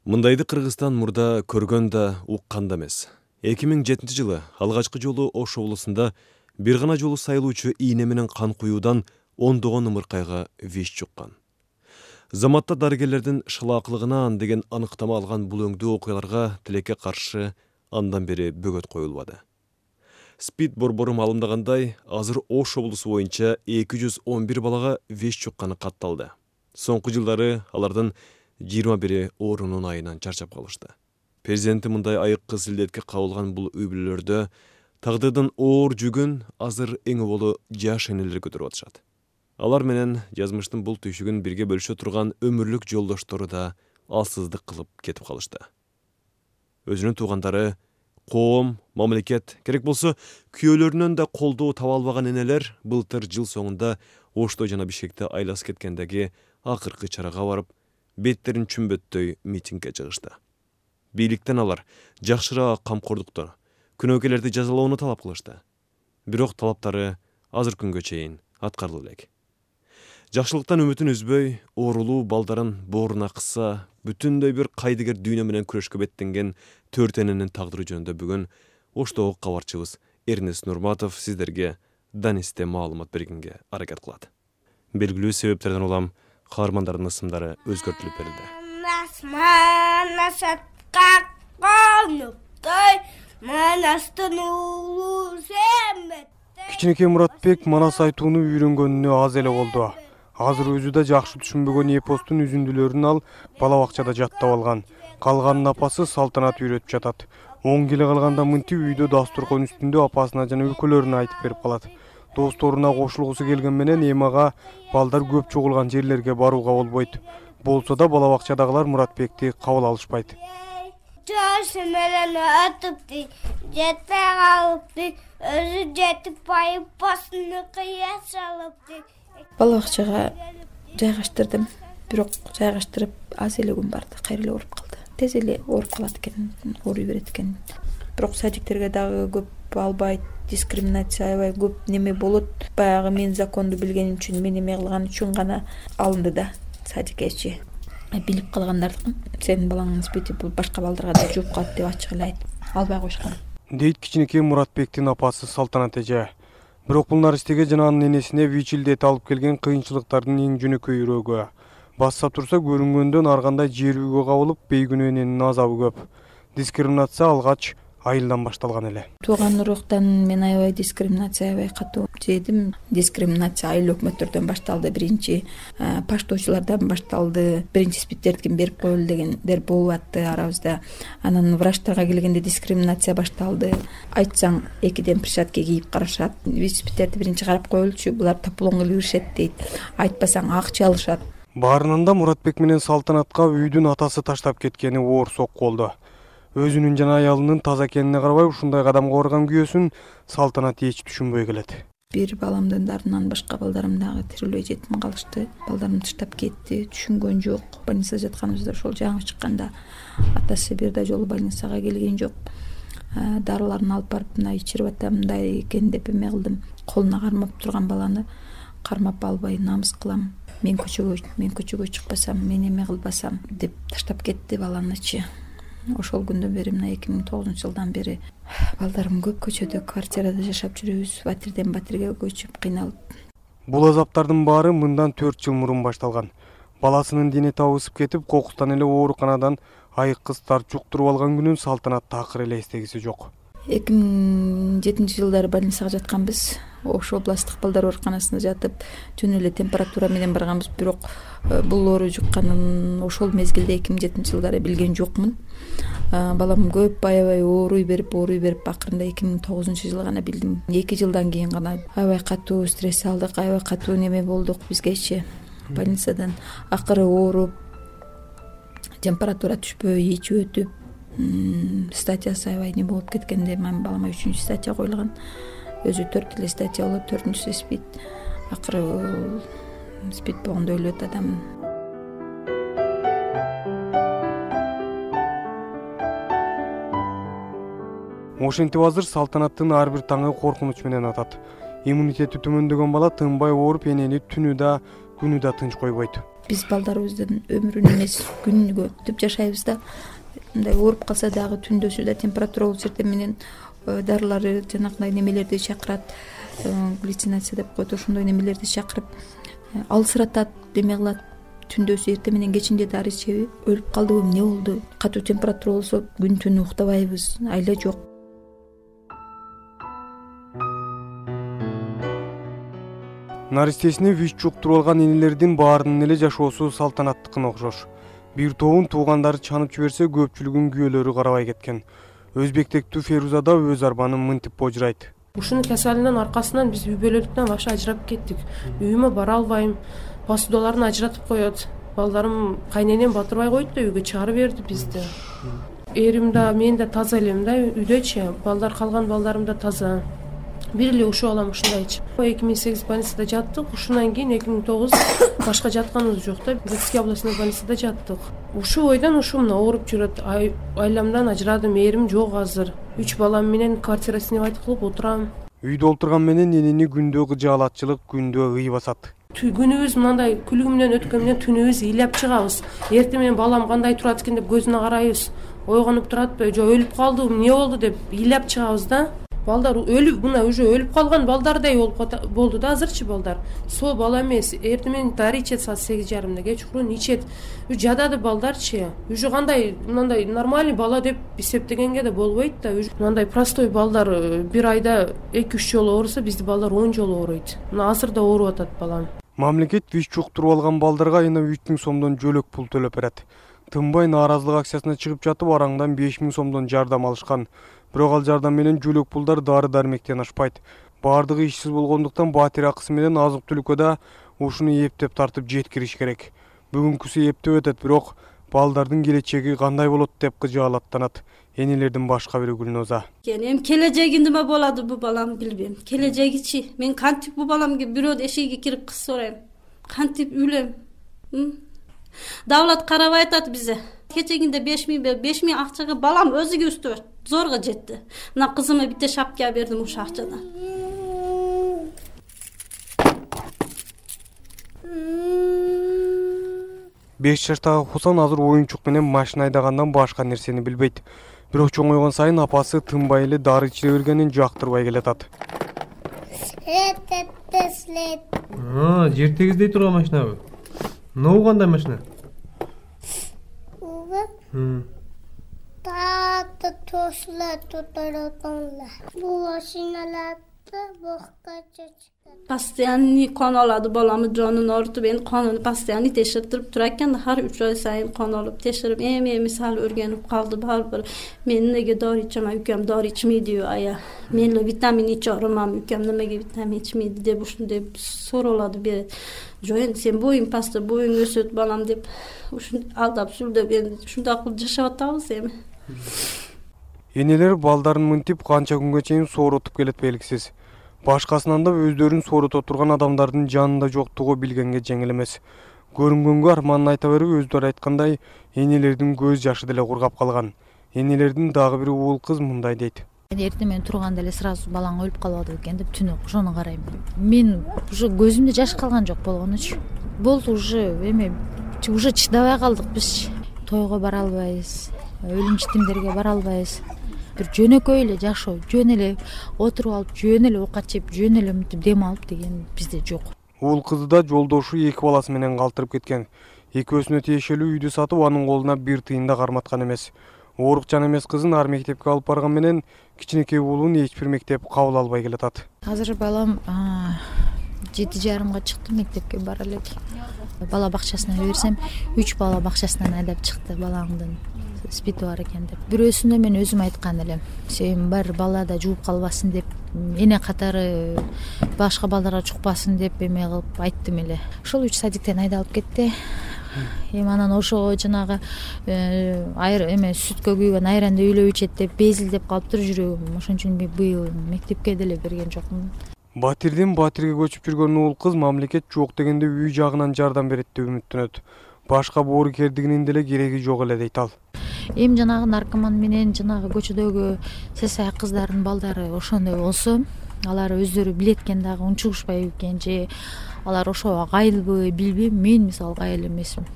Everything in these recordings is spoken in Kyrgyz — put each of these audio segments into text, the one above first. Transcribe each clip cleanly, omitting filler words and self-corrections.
Мындайды Кыргызстан мурда көргөн да, уккан да эмес. 2007-жылы алгачкы жолу Ош облусунда бир гана жолу сайылуучу ийне менен кан куюудан ондогон ымыркайга виш жуккан. Заматта дарыгерлердин шылаакылыгынан деген аныктама алган бул өңдүү окуяларга тилекке каршы андан бери бөгөт коюлбады. СПИД борбору маалымдагандай, азыр Ош облусу боюнча 211 балага виш жукканы катталды. Соңку жылдары алардын 21 оорунун айынан чарчап калышты. Президенти мындай айыккы силдетке кабылган бул үй-бүлөлөрдө тагдырдын оор жүгүн азыр эң болу жаш энелер көтөрүп атышат. Алар менен жазмыштын бул түйшүгүн бирге бөлүшө турган өмүрлүк жолдоштору да алсыздык кылып кетип калышты. Өзүнүн туугандары, коом, мамлекет, керек болсо күйөөлөрүнөн да колдоо таба албаган энелер былтыр жыл соңунда Ошто жана Бишкекте айласы кеткендеги акыркы чарага барып, беттерин чүмбөттөй митингге чыгышты. Бийликтен алар жакшыраак камкордукту, күнөөкөрлөрдү жазалоону талап кылышты. Бирок талаптары азыр күнгө чейин аткарыла элек. Жакшылыктан үмүтүн үзбөй, оорулуу балдарын бооруна кысса, бүтүндөй бир кайдыгер дүйнө менен күрөшкө беттенген төрт эненин тагдыры жөнүндө бүгүн Оштогу кабарчыбыз Эрнест Нурматов сиздерге Данисте маалымат бергенге аракет кылат. Белгилүү себептерден улам каармандардын ысымдары өзгөртүлүп берилди. Кичинекей Муратбек манас айтууну үйрөнгөнүнө аз эле болду. Азыр өзү да жакшы түшүнбөгөн эпостун үзүндүлөрүн ал бала бакчада жаттап алган. Калганын апасы Салтанат үйрөтүп жатат. 10 келе калганда мынтип үйдө дастуркан үстүндө апасына жана өлкөлөрүнө айтып берип калат. Досторуна кошулгусу келген менен эмага балдар көп чогулган жерлерге барууга болбойт. Болсо да бала бакчадагылар Муратбекти кабыл алышпайт. Жашы менен өтүптү, жетпей калыпты, өзү жетип байып басыны кыя салыпты. Бала бакчага жайгаштырдым, бирок жайгаштырып аз эле күн барды, кайра эле ооруп калды. Тез эле ооруп калат экен, ооруй берет экен. Бирок садиктерге дагы көп албайт, дискриминация аябай көп неме болот. Баягы мен законду билгеним үчүн, мен эме кылган үчүн гана алынды да садикечи. Билип калгандардыкын, сенин балаңдын спити бул башка балдарга да жугуп калат деп ачык эле айтып албай коюшкан. Дейт кичинекей Муратбектин апасы Салтанат эже. Бирок бул наристеге жана анын энесине ВИЧ-илдет алып келген кыйынчылыктардын эң жөнөкөйүрөгү. Басса турса көрүнгөндөн ар кандай жер үйгө кабылып, бейгүнөө эненин азабы көп. Дискриминация алгач айылдан башталган эле. Тууган уруктан мен аябай дискриминация аябай катуу жедим. Дискриминация айыл өкмөттөрдөн башталды, биринчи паштоочулардан башталды. Биринчи спиттердин берип коелу дегендер болуп атты арабызда. Анан врачтарга келгенде дискриминация башталды. Айтсаң экиден перчатка кийип карашат. ВИЧ-спиттерди биринчи карап коелучу, булар таплон кылып иришет дейт. Айтпасаң акча алышат. Баарынан да Муратбек менен Салтанатка үйдүн атасы таштап кеткени оор сокку болду. Өзүнүн жана аялынын таза экенине карабай ушундай кадамга барган күйөөсүн Салтанат эч түшүнбөй келет. Бир баламдын дарынан башка балдарым дагы тирилбей жетим калышты. Балдарым таштап кетти, түшүнгөн жок. Больницада жатканыбызда ошол жаңы чыкканда атасы бир да жолу больницага келген жок. Дарыларын алып барып мына ичирип атам, мындай экен деп эме кылдым. Колуна кармап турган баланы кармап албай намыс кылам. Мен көчөгө чыкпасам, мен эме кылбасам деп таштап кетти баланычы. Ошол күндөн бери мына 2009-жылдан бери балдарым көп көчөдө, квартирада жашап жүрөбүз, батирден батирге көчүп кыйналып. Бул азаптардын баары мындан 4 жыл мурун башталган. Баласынын дени табысып кетип, кокустан эле ооруканадан айыккы стар жуктуруп алган күнүн Салтанат такыр эле эстегиси жок. 2007-жылдары больницага жатканбыз. Ош областтык балдар ооруканасына жатып, жөн эле температура менен барганбыз, бирок бул оору жукканын ошол мезгилде 2007-жылдары билген жокмун. Балам көп аябай ооруй берип акырында 2009-жылы гана билдим. 2 жылдан кийин гана аябай катуу стресс алдык, аябай катуу неме болдук бизгечи. Больницадан акыры ооруп, температура түшпөй, ичип өтүп, статьясы аябай не болуп кеткенде мен балама 3-чү статья коюлган. Өзү 4 эле статья болуп, 4-чүсү СПИД. Акыры СПИД болгондо өлөт адам. Ошентип азыр Салтанаттын ар бир таңы коркунуч менен атат. Иммунитети төмөндөгөн бала тынбай ооруп, энени түнү да күнү да тынч койбойт. биз балдарыбыздын өмүрүн эмес күнүгө күтүп жашайбыз да. Мындай ооруп калса дагы түндөсү да температура болуп жерде менен дарылары жанагындай немелерди чакырат, глюцинация деп коет, ошондой немелерди чакырып алсыратат, эме кылат. Түндөсү эртең менен кечинде дары ичеби, өлүп калдыбы, эмне болду? Катуу температура болсо күн түнү уктабайбыз, айла жок. Наристесине ВИЧ жуктуруп алган энелердин баарынын эле жашоосу салтанаттыкына окшош. Бир тобун туугандары чанып жиберсе, көпчүлүгүн күйөөлөрү карабай кеткен. Өзбектектүү Феруза да өз арбанын мынтип божурайт. Ушунун кесалинин аркасынан биз үй бүлөлүктөн башка ажырап кеттик. Үйүмө бара албайм. Посудаларын ажыратып коет. Балдарым кайненем батырбай койду да үйгө чыгарып берди бизди. Эрим да, мен да таза элем да үйдөчү. Калган балдарым да таза. Бир эле ушуп алам ушундайчы. 2008 больницада жаттык. Ушундан кийин 2009 башка жатканыбыз жок да. Брестский областной больницада жаттык. Ушул бойдон ушумна ооруп жүрөт. Айламдан ажырадым, эрим жок азыр. 3 балам менен квартира снимать кылып отурам. Үйдө олтурган менен энени күндө кыжаалатчылык, күндө ый басат. Күнүбүз мындай күлүгү менен өткөн менен түнүбүз ыйлап чыгабыз. Эртең менен балам кандай турат экен деп көзүнө карайбыз. Ойгонуп туратпы, жок өлүп калдыбы, эмне болду деп ыйлап чыгабыз да. Балдар өлүп, мына уже өлүп калган балдардай болду да азырчы балдар. Сол бала эмес, эртең менен дары ичет саат 8:30 кечкурун ичет. Жадады балдарчы. Уже кандай мындай нормальный бала деп эсептегенге да болбойт да. Мындай простой балдар бир айда 2-3 жолу ооруса, бизди балдар 10 жолу ооройт. Мына азыр да ооруп атат балам. Мамлекет ВИЧ жуктуруп алган балдарга айына 3000 сомдон жөлөк пул төлөп берет. Тынбай нааразылык акциясына чыгып жатып, араңдан 5000 сомдон жардам алышкан. Бирок ал жардам менен жөлөк пулдар дары-дармектен ашпайт. Баардыгы ишсиз болгондуктан батир акысы менен азык-түлүккө да ушуну эптеп тартып жеткириш керек. Бүгүнкүсү эптеп өтөт, бирок балдардын келечеги кандай болот деп кыжаалаттанат энелердин башка бири Гүлноза. Эми келечеги неме болот бу балам билбейм. Келечегичи мен кантип бу баламга бирөө эшигиге кирип кыз сурайм. Кантип үйлем? Давлат карабай атат бизе. Кечегинде 5000 акчага балам өзүгө үстөп зорго жетти. Мына кызыма бите шапка бердим ошо акчадан. Беш жаштагы Хусан азыр оюнчук менен машина айдагандан башка нерсени билбейт. Бирок чоңойгон сайын апасы тынбай эле дары ичире бергенин жактырбай келатат. Жер тегиздей турган машинабы? Ноу кандай машина? Тааты тослар тутаротонла. Бул машиналарды бокка чечкен. Постоянный кон алады баламы жонун ортуп, эми конун постоянный текшертирип турат экен. Har 3 ай сайын кон алып текшерип, эми мисалы өргөнүп калды барбыр. Мен неге дары ичем, үкөм дары ичмейди, ая. Мен витамин ичемам, үкөм немеге витамин ичмейди деп ушундай суралады берет. Жок, сен боюң паста, боюң өсөт балам деп ушун алдап сүлдөп эми ушундай кылып жашап атабыз эми. Энелер балдарын мынтип канча күнгө чейин сооротуп келет белгисиз. Башкасынан да өздөрүн соорото турган адамдардын жанында жоктугу билгенге жеңил эмес. Көрүнгөнгө арманын айта берип, өздөрү айткандай, энелердин көз жашы деле кургап калган. Энелердин дагы бир уул кыз мындай дейт. Эртең менен турганда эле сразу балаң өлүп калбады экен деп түнү ошону карайм. Мен уже көзүмдө жаш калган жок болгонучу. Болду уже эме уже чыдабай калдык биз. Тойго бара албайбыз, өлүм житимдерге бара албайбыз. Бир жөнөкөй эле жашоо, жөн эле отуруп алып, жөн эле оокат жеп, жөн эле мынтип дем алып деген бизде жок. Уул кызы да жолдошу 2 баласы менен калтырып кеткен. Экөөсүнө тиешелүү үйдү сатып, анын колуна 1 тыйын да карматкан эмес. Оорукчан эмес кызын ар мектепке алып барган менен кичинекей уулун эч бир мектеп кабыл албай келатат. Азыр балам 7:30 чыкты, мектепке бара элек. Бала бакчасына берсем, 3 бала бакчасынан айдап чыкты балаңдын спиди бар экен деп. Бирөөсүнө мен өзүм айткан элем. Сен бар бала да жууп калбасын деп, эне катары башка балдарга чукпасын деп эме кылып айттым эле. Ошол 3 садиктен айдалып кетти. Эми анан ошого жанагы эме сүткө күйгөн айранды үйлөп ичет деп безилдеп калыптыр жүрөгүм. Ошон үчүн мен быйыл мектепке деле берген жокмун. Батирден батирге көчүп жүргөн уул кыз мамлекет жок дегенде үй жагынан жардам берет деп үмүттөнөт. Башка боорукердигинин деле кереги жок эле дейт ал. Эми жанагы наркоман менен жанагы көчөдөгү сесай кыздардын балдары ошондой болсо, алар өздөрү билет экен дагы унчугушпайбы экен же алар ошого кайылбы билбейм, мен мисалы кайыл эмесмин.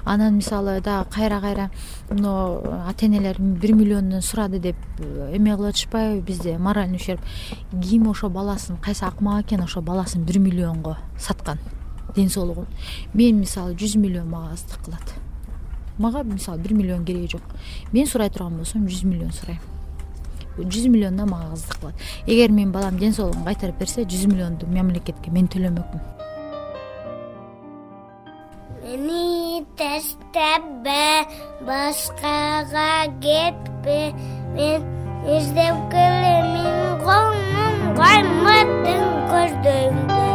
Анан мисалы дагы кайра мына ата энелер 1 миллиондон сурады деп эме кылып атышпайбы бизде моральный ущерб. Ким ошо баласын, кайсы акмак экен ошо баласын 1 миллионго саткан ден соолугун. Мен мисалы 100 миллион мага аздык кылат. Мага мисалы 1 миллион кереги жок. Мен сурай турган болсом 100 миллион сурайм. 100 миллиондан мага аздык кылат. Эгер менин балам ден соолугун кайтарып берсе, 100 миллионду мамлекетке мен төлөмөкмүн. Meni taştabbe, başkaga gitme. Men izlep kelimin kolum kaymadın gözlerimden.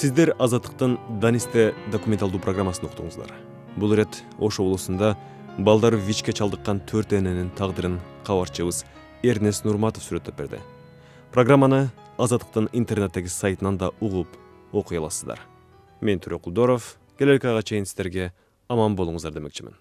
Сиздер Азаттыктын Данисте документалдуу программасын уктуңуздар. Бул ирет Ош облусунда балдары ВИЧке чалдыккан 4 эненин тагдырын кабарчыбыз Эрнест Нурматов сүрөттөп берди. Программаны Азаттыктын интернеттеги сайтынан да угуп окуй аласыздар. Мен Түрө Кулдоров, келелки айга чейин сиздерге аман болуңуздар демекчимин.